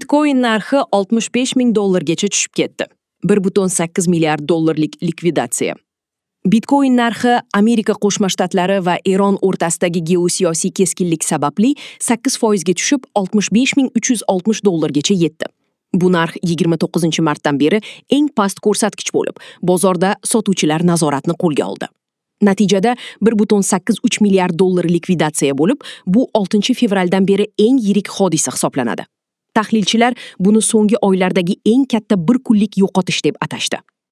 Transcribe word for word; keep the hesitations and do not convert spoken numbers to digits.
Bitcoin narxi oltmish besh ming dollargacha tushib ketdi. bir butun sakkiz milliard dollarlik likvidatsiya. Bitcoin narxi Amerika Qo'shma Shtatlari va Eron o'rtasidagi geosiyosiy keskinlik sababli sakkiz foizga tushib, oltmish besh ming uch yuz oltmish dollargacha yetdi. Bu narx yigirma to'qqizinchi martdan beri eng past ko'rsatkich bo'lib, bozorda sotuvchilar nazoratni qo'lga oldi. Natijada bir butun sakkiz uch milliard dollar likvidatsiya bo'lib, bu oltinchi fevraldan beri eng yirik hodisa hisoblanadi. Tahlilchilar buni so'nggi oylardagi eng katta bir kunlik yo'qotish deb atashdi.